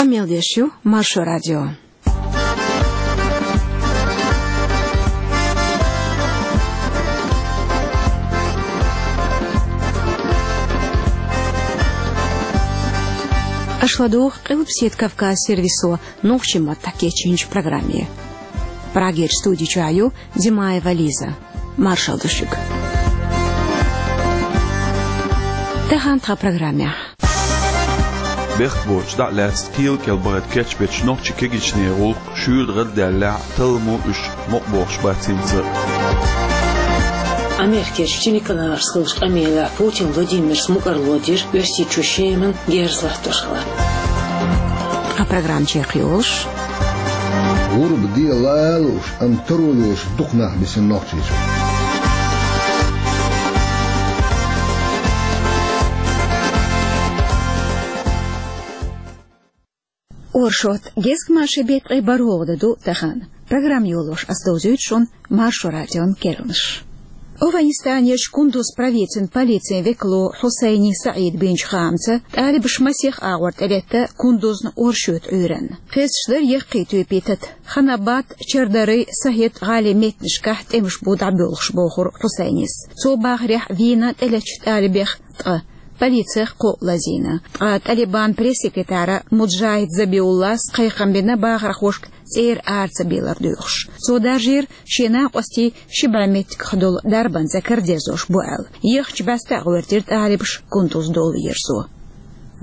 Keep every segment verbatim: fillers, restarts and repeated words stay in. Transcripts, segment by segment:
Мел деш ю Маршо радио. Аша ладугӀу Къилбаседа Кавказ сервисо нохчийн маттахь кечйинчу программе. Прагерчу студи чохь ю Димаева Лиза. Маршалла ду шуьга. Тахана тхан программехь. Бехк боцуш дӀа а лаьцна кхел кӀел бахар кечбечу нохчийн кегийчеран гӀуллакх шуьйра гӀардаьллехь а, талламо уьш мукъа бохуш бац хӀинца а. Америкерчу телеканалашца хиллачу къамелехь Путин Владимира мукӀарло дира Оьрсийчоь Шеман герз латтош хилар. Тхан программа чекхйолуш. ГӀурба де ла а лууш, амма таро йолуш дукха нах бисина Нохчийчу. Оршот, гезгмашин беттан ткъе бархӀалгӀа де ду тахана. Программа йолош ас довзуьйту шуна Маршо радион керланаш. АфгӀанистанерчу Кундуз провинцин полицин векало Хьусайни СаӀида бинчу хаамца, тӀалибаша масех агӀор тӀелетта Кундузна оршотан Ӏуьйранна. Хезаш дара яккхий тоьпан тата. Ханабад, Чардари, Сахет гӀалин меттанашкахь тӀемаш бу дӀабоьлхуш, бохура Хьусайнис. Цо бахарехь, вийна тӀелеттачу тӀалибех ткъа. Полицех кхоъ лазийна. Ткъа Талибан пресс-секретара Муджахид Забиуллас кхайкхам бина бахархошка цӀера ара ца белар доьхуш. Цо даржийра, шен накъостий ши бӀе меттигах долу дарбанца карадерзош бу аьлла. Ехачу баьстехь гӀоьртира тӀалибаша Кундуз долу ерзо.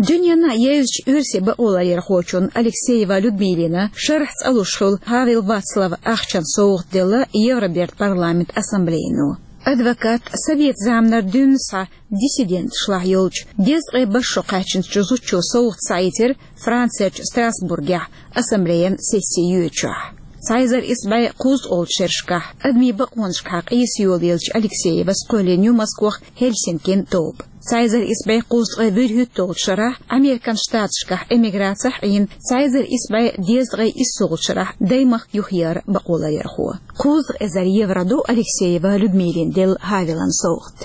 Дуьненна езачу оьрсийн бакъоларъярхочунна Алексеева Людмилина шарахь цӀа луш хуьлу Павел Вацлав ахчан совгӀат делла Евробертан парламентан ассамблейно. Адвокат, совет заманара дуьйна схьа диссиденташлахь йолчу дезткъе бархӀ шо кхаьчначу зудчо совгӀат схьаийцира Францерчу Страсбургехь ассамблеян сесси йоьдучохь. Цхьа эзар исс бӀе кхузткъолгӀачу шерашкахь адамийн бакъонашкахьа къийса йолаеллачу Алексеевас кхоьллина ю Москвах Хельсинкин тоба. Цхьа эзар исс бӀе кхузткъе вуьрхӀитталгӀачу шарахь Американ Штаташкахь эмиграцехь Ӏийна, цхьа эзар исс бӀе дезткъе иссалгӀачу шарахь даймахка юхаера бакъоларъярхо. Кхузткъа эзар евро ду Алексеева Людмилина делла Павелан совгӀат.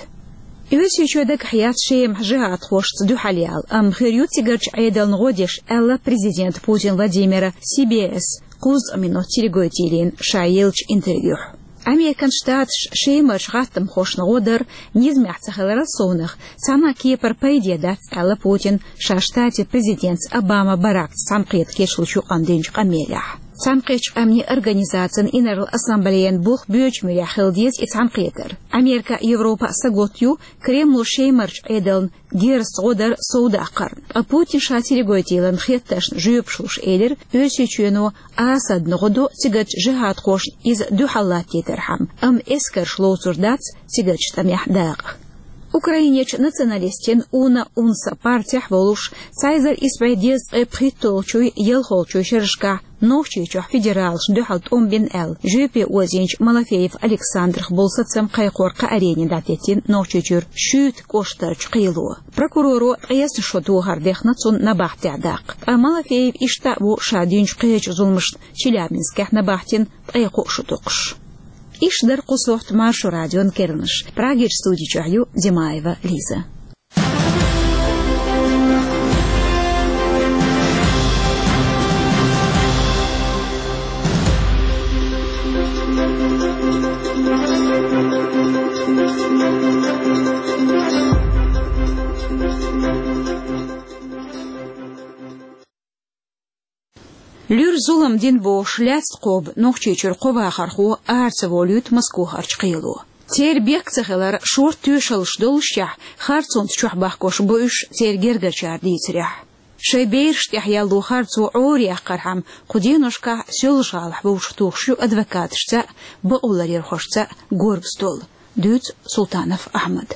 Оьрсийчоь дагахь яц Шемахь жихӀадхошца дуьхьал яла, амма хир ю цигарчу Ӏедална гӀо деш, аьлла президента Путин Владимира Си-Би-Эс кхузткъа минот телеканойн ша еллачу интервьюхь. Американ Штаташ Шемарчу гӀаттамхошна гӀо дара низамехь ца хиларал совнах, цхьана а кепара пайде дац, аьлла Путина ша штатийн президентца Обама Баракца цхьаьнакхета кечлучу юкъана динчу къамелехь. Цхьаьнакхеттачу къаьмнийн организацин Инарла ассамблеян болх боьдучу муьрехь хила деза и цхьаьнакхетар. Америка а, Европа а сагатта ю Кремло Шемарчу Ӏедална герзаца гӀо дар совдаккхарна. Ткъа Путина ша телеканойн хеттаршна жоьпаш луш элира, Оьрсийчоьно Асадна гӀо до цигарчу жихӀадхошна иза дуьхьал латтийтархьама, амма эскарш лоцур дац цигарчу тӀамехь дакъа. Украинерчу националистийн Уна-УНСА партехь волуш, цхьа эзар исс бӀе дезткъе пхийтталгӀачуй, ялхалгӀачуй шерашкахь Нохчийчохь федералашна дуьхьал тӀом бина аьлла, жоьпе озийначу Малафеев Александрах болу сацам кхайкхор кхааренна дӀатеттина Нохчийчуьра Шуьйта кӀоштарчу кхело. Прокуроро ткъесна шо тохар дехна цунна набахтехь даккха. Ткъа Малафеев иштта а ву ша динчу кхечу зуламашна Челябинскехь набахтина ткъе кхоъ шо доккхуш. Иштта дара кху сохьта Маршо радион керланаш. Прагерчу студи чохь ю Димаева Лиза. Луьра зулам дина бохуш, лаьцна кхобу Нохчийчуьра кхо вахархо ара ца волуьйту Москвахарчу кхело. Церан бехк ца хилар шорта тоьшаллаш доллушехь, харцонца чохь бахкош бу уьш церан гергарчара дийцарехь. Шайн бераш тӀехь яьлло харцо Ӏораяьккхархьама, кху деношкахь Соьлжа-ГӀалахь вовшахтухуш ю адвокаташца а, бакъоларъярхошца а горга стол. Дуьйцу Султанов Ахьмада.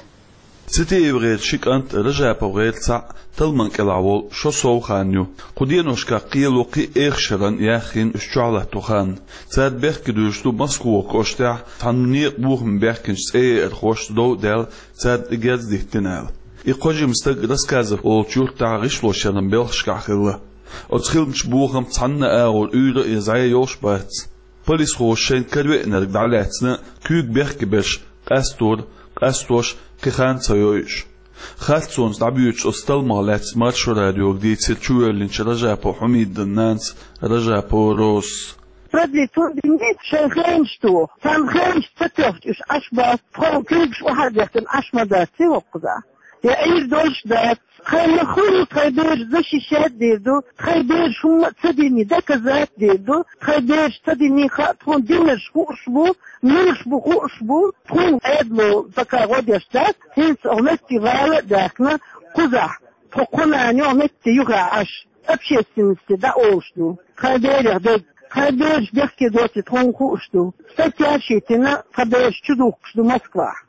ЦитиевгӀеран ши кӀант, РажаповгӀеран цхьаъ талламан кӀелахь волу шо сов хан ю. Кху деношкахь кхело кхин а эха шарна яьхна уьш чохь латто хан. Цара бехке дуьйцуш ду Москвахарчу кӀоштехь цхьана некъан бохаме баьхкинчу цӀеяьрхошца дов а даьлла, царна тӀе герз диттина аьлла. И кхо жима стаг Рассказов олучу юьртахь гӀишлошъяран белхашкахь хилла. Оцу хиламчу бохамца цхьанна а агӀор уьйра а, я зӀе а йолуш бац. Полисхоша шайна каравеанарг дӀалаьцна, куьйга бехке берш къастор, къастош кхин хан ца йойуш. Харцонца дӀабоьдучу оцу талламах лаьцна Маршо радиога дийцира чувоьллинчу Ражапов Хьумидан нанас Ражапова Розас. Продлить хӀун дина, шайн хенаш тоху. Царна хенаш ца тоьхча, уьш Ӏаш бац, тхо куьйгаш охьа а дехкина Ӏаш ма дац, ци хӀокхузахь. Я Ӏийр долуш дац. Тхайн махкахь тхайн бераш защищать дийр ду, тхайн бераш хӀумма а ца дина доказать дийр ду, тхайн бераш ца дина хаа тхуна динарш хууш бу, муьлш бу хууш бу, тхуна Ӏедало пока гӀо деш дац, хӀинца хӀокху метте вала а даьхкина, кхузахь, тхо кху нана йолу метте юха Ӏаш, общественности дӀаолуш ду, тхайн берех дерг, тхайн бераш бехке доций тхуна хууш ду, статьяш йитина, тхан бераш чудухкуш ду Москвахь.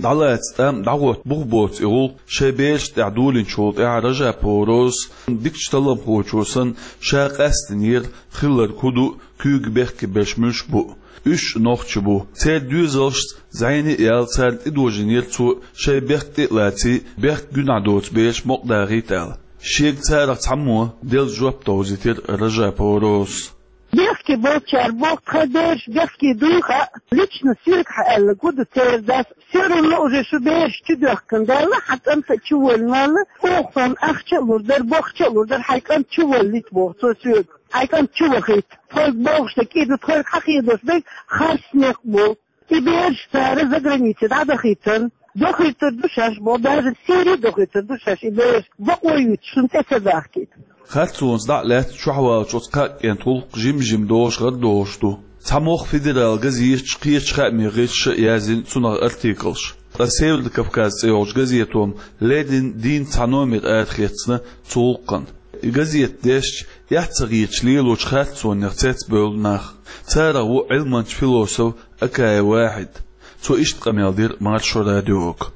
ДӀалаца тӀам дӀагӀотта бух боцу и гӀуллакх шайн берашна тӀехь долийначул тӀаьхьа Ражапова Розас дикачу талламхочо санна, ша къастийнера хилларг хӀун ду, куьйга бехке берш муьлш бу. Уьш а нохчий бу. Церан доьзалшца зӀене а яьлла, царна тӀедожийнера цо шайн бехк тӀе а лаций, бехк гуьнахь доцу бераш мукъадахийта аьлла. Шега царах цхьаммо делла жоп довзийтира Ражапова Розас. Бехке болчара боху, тхан бераш бехке дуй хаьа, лично соьга хьан аьлла гу ду церан дас, всё равно уже шу бераш чудоьхкина даьлла, хьан кӀанта а чуволлина валла, оха сан ахча а лур дара, бохча а лур дара, хьайн кӀант чуволлийта боху цо соьга. Хьайн кӀант чувахийта. Тхоьга бохуш дерг и ду, тхоьга хьан хедош берг харц некъ бу. И бераш цара загранице дӀадахийтар, дахийтар ду шаьш боху, даже Сири дахийтар ду шаьш и бераш, бакъо юьйцуш шуна тӀе ца дахкийта. Харцонца дӀа а лаьцна чохь валлачу оцу кхаа кӀентан гӀуллакх жим-жима догӀуш гӀарадогӀуш ду. Цхьа могӀа федерал газеташ кхечу хаамийн гӀирсаша а яздина цунах артиклаш. Ткъа Северный Кавказ цӀе йолчу газето леррина дийнна цхьа номер арахецна цу гӀуллакхна. И газета дешча, эхь ца хеташ лелочу харцонех цецбевлла нах. Царах ву Ӏилманча философ Акаев Вахьид. Цо иштта къамел дира Маршо радиога.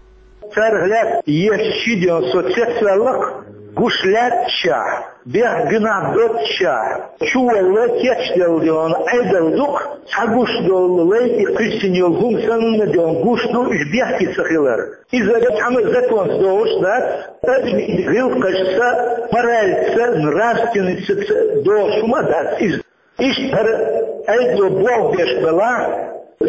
Царах лаьцна еш ши ден со цецваьллакх, гуш лаьтташехь, бехк гуьнахь доццушехь, чувалла кечделла ден Ӏедал дукха, цхьа гуш долу лай и кхуьссина йолу хӀума санна ден гуш ду уьш бехке ца хилар. Иза цхьана а законца догӀуш дац, адамийн гӀиллакхашца, моральца, нравственностьца догӀуш хӀума а дац иза. Иштта хӀара Ӏедало болх беш белахь,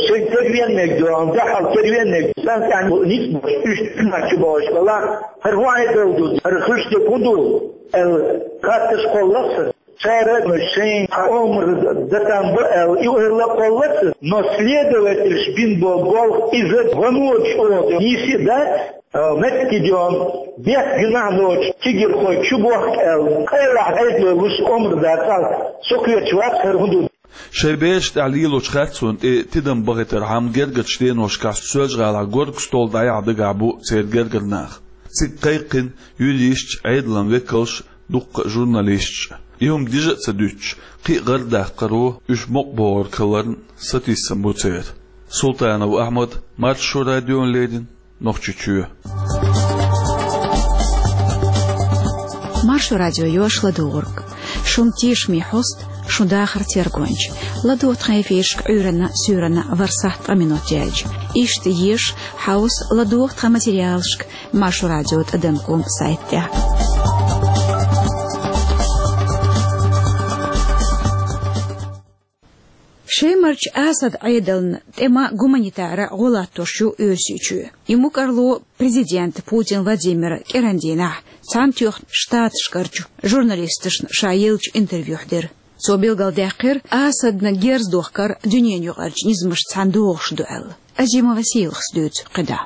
шайн кервеннег доьгӀна, дуьхьал кервеннег санкъян ницкъ болуш, уьш дуьнен чу богӀуш белахь, хӀара хӀун Ӏедал ду, хӀара хуьлуш дерг хӀун ду аьлла, хатташ кхоллакх сан. Цара шайн омра датан бу аьлла, и ойла кхоллакх сан, но следовательш бина болу болх иза ваночу оха нийса дац. А, меттигон, бехк гуьнахь доцучу кегирхой чу бохку аьлла, къайлаха Ӏедало луш омра дацахь, со кхоьруш вац хӀара хӀун ду. Шайн бераш тӀехь лелочу харцонна тӀе тидам бахийтархьама гергарчу деношкахь Соьлжа-ГӀалахь горга стол дӀаяхьа дагахь бу церан гергара нах. Цига кхайкхина юристаш, Ӏедалан векалш, дуккха а журналисташ. И хӀума дижа а ца дуьтуш, кхин а гӀардаккхаро уьш мукъабогӀург хиларна сатийсам бу церан. Султанов Ахьмад, Маршо радиона леррина, Нохчийчоь. Маршо радио йош ладугӀург. Шун тешаме хьост, шун дахар тергонча. ЛадогӀа тхан эфирашка Ӏуьйранна, суьйранна ворхӀ сахьт ткъа минот яьлча. Иштта еша, хьовса, ладогӀа тхан материалашка Маршо радио тӀадам ком сайт тӀехь. Шемарчу Асад Ӏедална тӀема гуманитара гӀо латтош ю Оьрсийчоь. И мукӀарло президента Путин Владимира кӀиран дийнахь Цхьаьнатоьхначу Штаташкарчу журналисташна ша еллачу интервьюхь дира. Цо билгалдаьккхира, Асадна герз дохкар дуьненан юкъарчу низамашца цхьаьна догӀуш ду аьлла. Азимова Сийлахас дуьйцу кхидӀа.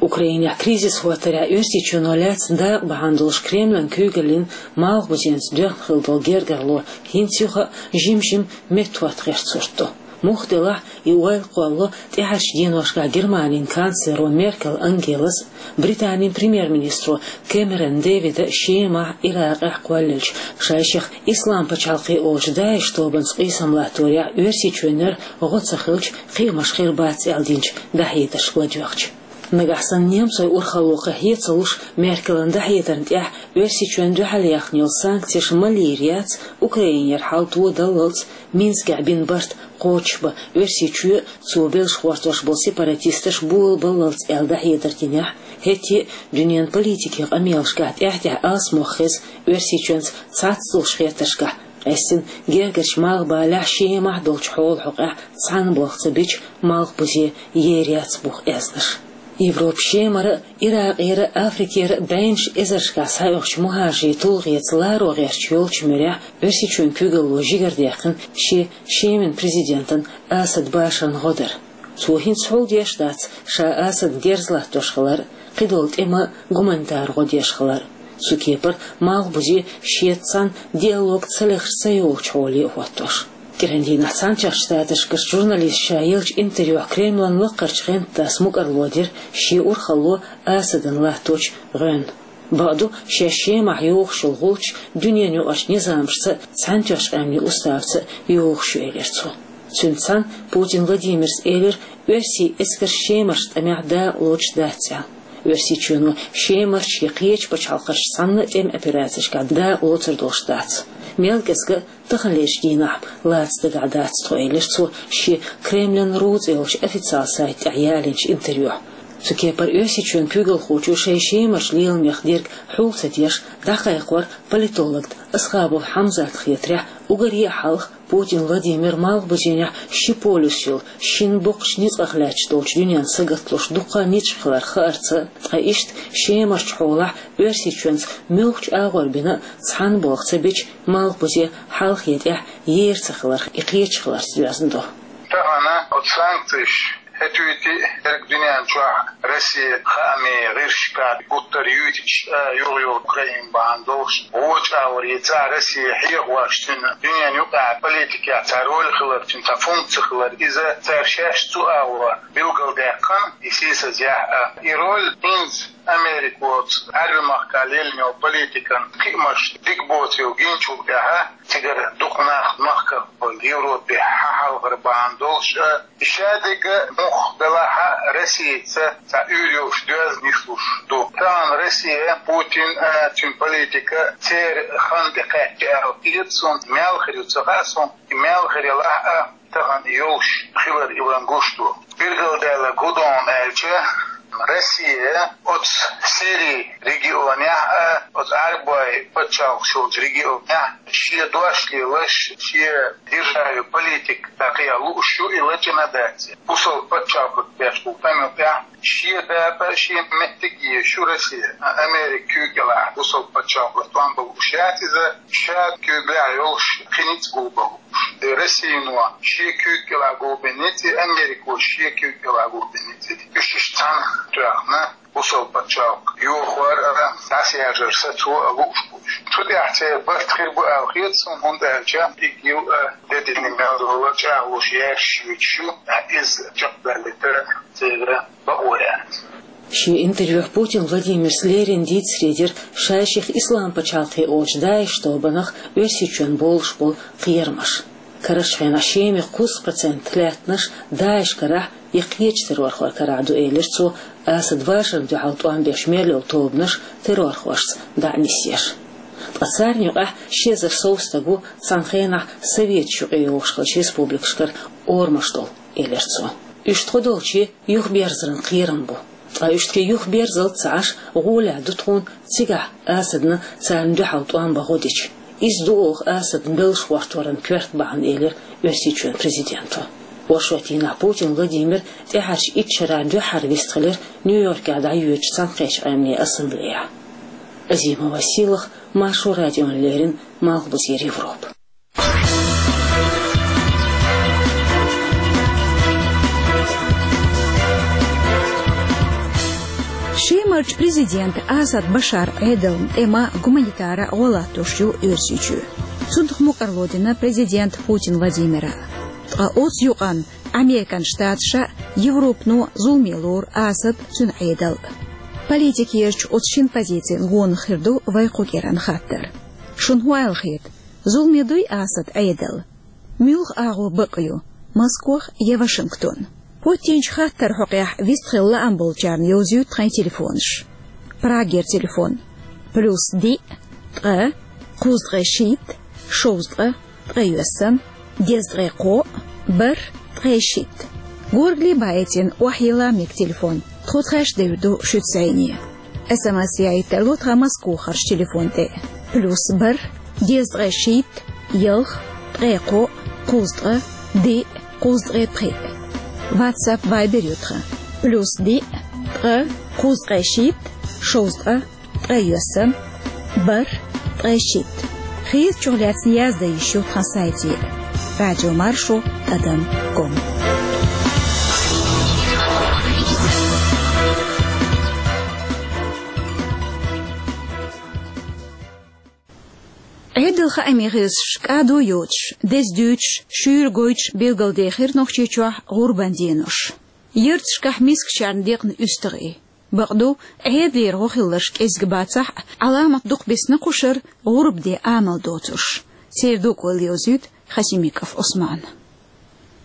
Украинехь кризис хӀоттарехь Оьрсийчоьно лаьцна дакъа бахьана долуш Кремлан куьйгаллин малхбузенца доьхна хилла долу гергарло хӀинца юха а жим-жима меттахӀотта гӀертарх сурт ду. Муха делахь а, и ойла кхоллало тӀаьхьарчу деношкахь Германин канцлеро Меркел Ангелас, Британин премьер-министро Кэмерон Дэвида Шемахь, Иракъехь кхоллаелча, шайшех Ислам пачхьалкх олучу ДАИШ тобанца къийсам латторехь Оьрсийчоьнера гӀо ца хилча, кхиамаш хир бац аьлла динчу дӀахьедаршка ладоьгӀча. Нагахь санна немцойн урхалло кхин хье ца луш, Меркелан дӀахьедарна тӀехь Оьрсийчоьнна дуьхьал яьхна йолу санкцеш ма лийр яц, Украинера хьал тодаллалц, Минскехь бина барт кхочушбан Оьрсийчоь а, цо белшахӀоттош болу сепаратисташ а болабаллалц аьлла дӀахьедар динехь, хӀетте а дуьненан политикин къамелашкахь тӀаьхь-тӀаьхьа алсамох хеза Оьрсийчоьнца цхьацца долуш хеттаршкахь къаьстина гергарчу малхбалехь, Шемахь долчу хьолан хьокъехь цхьана болх ца бича, малхбузе ер яц буха аьзнаш. Европа Шемара, Иракъера, Африкера бӀеннаш эзаршкахь схьаоьхучу мухӀажарийн тулгӀеца ларо гӀерташ йолчу муьрехь Оьрсийчоьнан куьйгалло жигардаьккхина шен Шеман президентан Асад Башаран гӀо дар. Цо хӀинца хьулдеш дац ша Асадна герз латтош хилар, кхидолу тӀеман гуманитар гӀо деш хилар. Цу кепара Малхбузе шеца цхьаьна диалог ца лехаш ца йолучу хьоле а хӀоттош. КӀиран дийнахь Цхьаьнатоьхначу Штаташкарчу журналисташа еллачу интервьюхь Кремлан лакхарчу гӀентан дас мукӀарло дира шен урхалло Асадна латточу гӀоьнна. Бакъду, шаьш Шемахь йохуш йолу гӀулч дуьненан юкъарчу низамашца а, Цхьаьнатоьхначу къаьмнийн уставца а йохуш ю, элира цо. Цуьнца цхьаьна Путин Владимира элира, оьрсийн эскарш Шемарчу тӀамехь дакъалоцуш дац аьлла. Оьрсийчоьно Шемарчу я кхечу пачхьалкхашца цхьаьна тӀеман операцешкахь дакъалоцур долуш дац. Мел кӀезга а таханлерчу дийнахь лаца дагахь дац тхо, элира цо шен Кремлан РУ цӀе йолчу официалан сайта тӀехь ялийнчу интервьюхь. Цу кепара Оьрсийчоьнан куьйгалхочо шайн Шемарчу леламех дерг хьул ца деш, дӀакхайкхор политологна Асхабов Хьамзатна хетарехь, уггаре а хьалха Путин Владимира Малхбузенехь ши полюс йолу, шина боккхачу ницкъах лаьтташ долчу дуьненна сагатлуш дуккха а ницкъ хилар хаарца, ткъа иштта Шемарчу хьолахь Оьрсийчоьнца муьлххачу агӀор бина а цхьаьна болх ца бича, Малхбузе хьалхе тӀехь ер ца хиларх и кхеташ хиларца доьзна ду. Тахана оцу санкцеш хӀетуьйти дерг дуьнен чохь Россия хаамийн гӀирсашкахь гуттар а юьйтуш, а, юха-юха Украин бахьана долуш, вочу агӀор и цхьа Россия хьехош, цуьнан дуьненан юкъахь политикехь цхьа роль хилар, цуьнан цхьа функци хилар, иза цара шаьш цу агӀор билгалдаьккхина, и сийсазъяхь а. И роль хӀинца Америка воцу Ӏаьрбийн махкахь леллина йолу политикан кхиамаш дика боцу йолу гиначул тӀаьхьа, цигара дукха нах махках Европе хьахьалхар бахьана долуш а, и шадерг а муха делахь а, Россица цхьа уьйр йолуш доьзна нислуш ду. Тахана Россия, Путин а, цуьнан политика церан хан тӀекхаьчча аьлла хета суна, мел хир ю ца хаьа суна, и мел хир елахь а, тахана йолуш хилар илан гуш ду. Билгалдаьлларг хӀун ду аьлча, Россия оцу Сирин регионехь а, оцу Ӏаьрбойн пачхьалкхаш йолчу регионехь шен дош лелаш, шен державин политика дӀакхехьа лууш ю, и лачкъийна дац. Бусалба пачхьалкх беш болу тӀамна тӀехь шен дакъа, шен меттиг езаш ю Россия. Америка куьйга кӀелахь бусалба пачхьалкхаш тӀом бан лууш яц иза, ша куьйгаллехь йолуш кхин ницкъ гулбан лууш. Россино шен куьйга кӀелахь гулбина ницкъ, Америко шен куьйга кӀелахь гулбина ницкъ. Уьш иштта цхьаьна тоьхна, бусалба пачхьалкх йохор а, дӀасаяжар сацо а лууш бу уьш. Цу тӀехь церан барт хир бу аьлла хета суна, хӀунда аьлча ИГИЛ а де дина мел долу чӀагӀлуш яьржаш юьйцуш ю, иза чекхбаьллийтар церан бакъо яц. Шен интервьюхь Путин Владимира леррина дийцаре дира шайших Ислам пачхьалкх олучу ДАИШ тобанах Оьрсийчоьнна болуш болу кхерамаш. Карарчу хенахь Шемахь кхузткъа процент лаьттанаш ДАИШ карахь я кхечу террорхойн карахь ду, элира цо, Асад Башарна дуьхьал тӀом беш мел йолу тобанаш террорхошца дӀа а нисъеш. Ткъа царна юкъахь ши эзар сов стаг ву цхьана хенахь Советаш юкъе йогӀуш хиллачу республикашкара орамаш долу, элира цо. Уьш тхо долче юхаберзаран кхерам бу. Ткъа уьш тхе юхаберзалц ца Ӏаш, гӀолехь ду тхуна цигахь Асадна царна дуьхьал тӀом бан гӀо дича. Иза ду оха Асадна беллаш гӀортаран коьрта бахьана, элира Оьрсийчоьнан президенто. Оршотдийнахь Путин Владимир тӀаьхьарчу итт шарахь дуьххьара вистхилира Нью-Йоркехь дӀайоьдучу Цхьаьнакхеттачу Къаьмнийн Ассамблеяхь. Азимова Сийлаха, Маршо радиона леррина, Малхбузера Европа. Шемарчу президента Асад Башар Ӏедална тӀеман, гуманитаран гӀо латтош ю Оьрсийчоь. Цунах мукӀарло дина президента Путин Владимира. Ткъа оцу юкъанна Американ Штаташа, Европано зуламе лору Асад, цуьнан Ӏедал. Политикерчу оцу шина позицина гонах хир ду вайн кху кӀиран хаттар. Шуна хӀун аьлла хета? Зуламе дуй Асад Ӏедал? Муьлха агӀо бакъ ю, Москох я Вашингтон? ХӀоттийначу хаттаран хьокъехь вистхила лаам болчарна йовзуьйту тхайн телефонаш. Прагера телефон: плюс диъ, ткъа, кхузткъе шийтта, шовзткъа, ткъе йоьссана, дезткъе кхоъ, бархӀ, ткъе шийтта. Горгали баийтина охьайилла мега телефон. Тхо тхаьш девр ду шуьца зӀене. СМС яийта тарло тхан Москохарчу телефон тӀе: плюс бархӀ, дезткъе шийтта, ялх, ткъе кхоъ, кхузткъа, диъ, кхузткъе пхиъ. WhatsApp, Viber ю тхан: плюс диъ, Ткъа, кхузткъе шийтта, шовзткъа, ткъе ялх, бархӀ, ткъе шийтта. Хетачух лаьцна яздан йиш ю тхан сайтера: радио маршо тӀадам ком. Ӏедал хаамийн хьесапаш кӀадо йоцуш, деза дуьйцуш, шуьйра гойтуш билгалдехира Нохчийчохь гӀурбан денош. Ярташкахь мискачарна декъна уьстагӀий. Бакъду, Ӏедалера гӀо хилларш кӀезиг бацахь а, Ӏаламат дукха бисна кхушара гӀурба де амал доцурш. Церан дукъо леладойту Хасимиков Ӏусмана.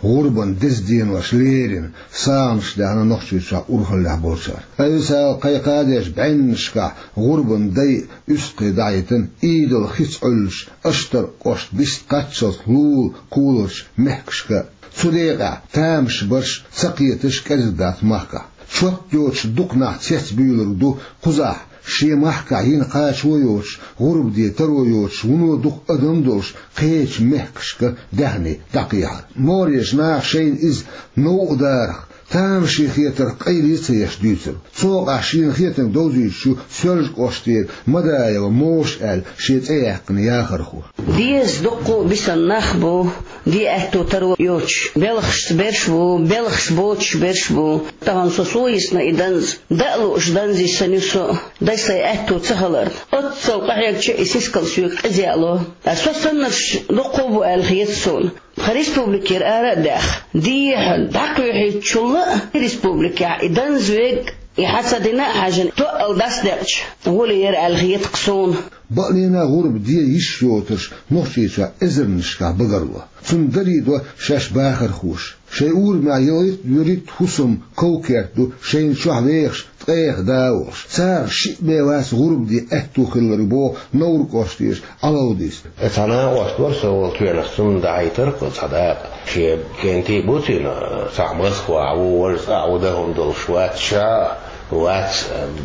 ГӀурбан деза денош лерина, сагӀанаш даьхна Нохчийчохь урхаллехь болчара. Официалан кхайкхам беш бӀеннашкахь гӀурбан дай уьстагӀий дӀахӀиттина Ӏийдал хица Ӏуьллучу Аштаркан кӀоштан бист кхаччалц лулахь кхуллучу мехкашка. Цу декъехь тамашбарш, цакхеташ кӀезиг дац махкахь. Чот йоцуш дукха нах цецбуьйлург ду кхузахь, шен махкахь йина кхачо йоцуш, гӀурба де таро йоцуш, вуно дукха адам долуш, кхечу мехкашка даьхни дӀакхехьар. Моррачу наха шайна иза новкъа дарах, тамашийна хетарх къайле ца еш дуьйцура. Цо къаьстина шена хетарг довзуьйтуш ю Соьлжа-кӀоштера Мадаева Моша аьлла шен цӀе яьккхина яхархо. Деза дуккха а бисина нах бу, де аьтто таро йоцуш, белхашца берш бу, белхаш боцуш берш бу. Тахана со сов йисна и данз, даа лууш данз йисина ю со, дай сайн аьтто ца хиларна. Оццул къахьегча и сискал соьга къиза яало. Ткъа со саннарш дуккха а бу аьлла хета суна. Тхан республикера ара а даьхна, дехьа дӀакхоьхьуьйтучул а республикехь и данз верг, и хьан ца дина а хьаьжна, тоъал дӀасадекъча гӀоле яра аьлла хета-кх суна. Бакъдолуш гӀурба де йиш йоцурш Нохчийчохь эзарнашкахь багарло. Цунна даре до шаьш бахархоша. Шайн урамехь ялхитта-вуьрхӀитта хӀусам ков-керт ду шайна чохь вехаш, ткъех да а волуш. Царах шиъ бен вац гӀурба де аьтто хилларг, боху Невран кӀоштера Ӏалавдис. Цхьа накъост вара со волу тоьнах, цунна дахьийтира-кх цхьа дакъа. Шен кӀентий бу цуьнан, цхьаъ Москвахь ву, важа цӀахь ву, дан хӀума долуш вац, ша а вац,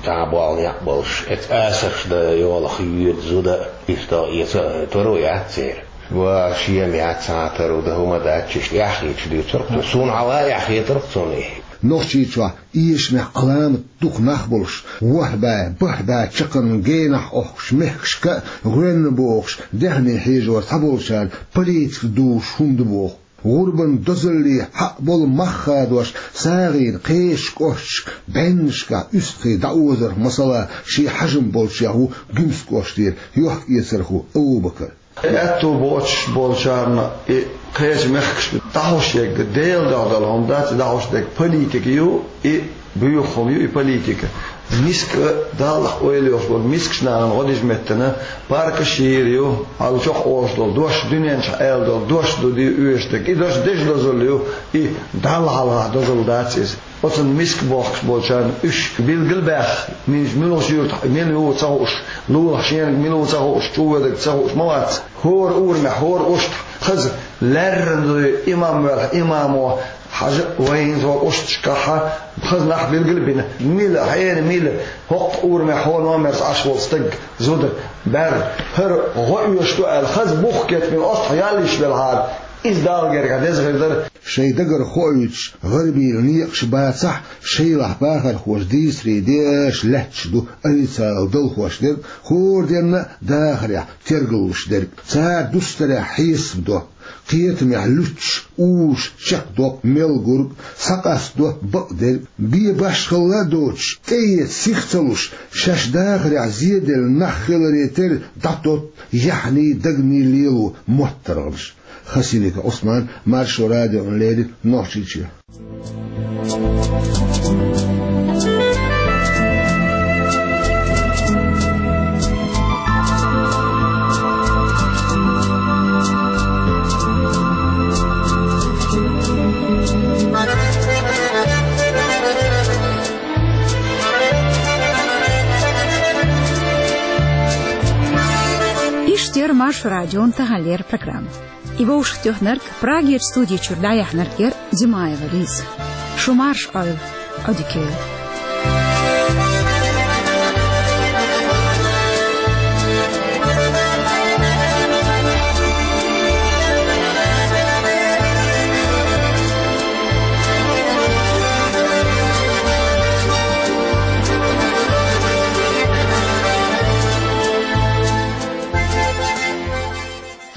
цхьа болу некъ болуш. Эцу асарш дан йолах йоьду зуда а, иштта эца а таро яц церан. Ва шен ма яц цхьа а таро, дан хӀума дац, иштта эхь хеташ дуьйцура-кх цо. Суна хьалха а эхь хетара-кх цунна и. Нохчийчохь эшамехь Ӏаламат дукха нах болуш, ворхӀ бӀе, бархӀ бӀе чаккхарма генахь охкуш мехкашка а гӀоьнна бохуш, даьхни хьежор цхьаболчарна политика дузуш хӀума ду боху. ГӀурбан дозалле хьакъ болу мах хадош, сагӀина кхечу кӀошташка бӀеннашкахь уьстагӀий дӀаозарх, масала, шен хьажам болчех ву Гуьмсан кӀоштера Йохк-Эцархо Абу-Бакар. Аьтто боцуш болчарна и кхечу мехкашка дӀахьош ерг Делан дуьхьа долу хӀума дац, и дӀахьош дерг политика ю, и буьйху хӀума ю и политика. Миска, Даллах ойла йолуш болу мискачу нахана гӀо дижа меттана паркаш йийр ю, хьал чохь олуш долу дош, дуьнен чохь аьлла долу дош ду де оьшург дерг. И дош деза дозалла ю, и Далла хьалха дозалла дац иза. Оцунна миска бохкуш болчарна уьш билгал а баьхна, минчу муьлхачу юьртахь мила ю ца хууш, лулахь шениг мила ву ца хууш, чу воьдург ца хууш ма вац. ХӀора урамехь, хӀора кӀоштахь хаза лаьррина дуй имам велахь, имамо, хьажа а вайна хӀора кӀошташкахь хаза нах билгал а бина, мила, хьенан мила, хӀокху урамехь хӀора номерца Ӏаш волу стаг, зуда, бӀаьрг, хӀара гӀо оьшуш ду аьлла, хаза бух кечбина, оццахь ял йиш велахьара, иза Далла гергахь деза хир дара. Шайн дагара хоуьйтуш гӀарабийн некъаш бацахь а, шайлахь бахархоша дийцаре деш лаьтташ ду официалан далхош дерг, хӀора денна а дахарехь тергаллуш дерг. Цара дустарехь хьесап до, кхетамехь луьттуш, уьш чекхдо мел гург, схьакъасто бакъдерг. Бен башхалла а доцуш, тӀеэца сих ца луш, шаьш дахарехь зеделла нах хиларе терра дӀатотту яхьний, дагний лело моттаргӀанаш. Хасимиков Ӏусман, Маршо радиона леррина, Нохчийчоь. Иштта яра Маршо радион таханлера программа. И вовшахтоьхнарг, Прагерчу студи чуьра дӀаяьхьнарг яра Димаева Лиза. Шу марша Ӏойла, Ӏодика йойла.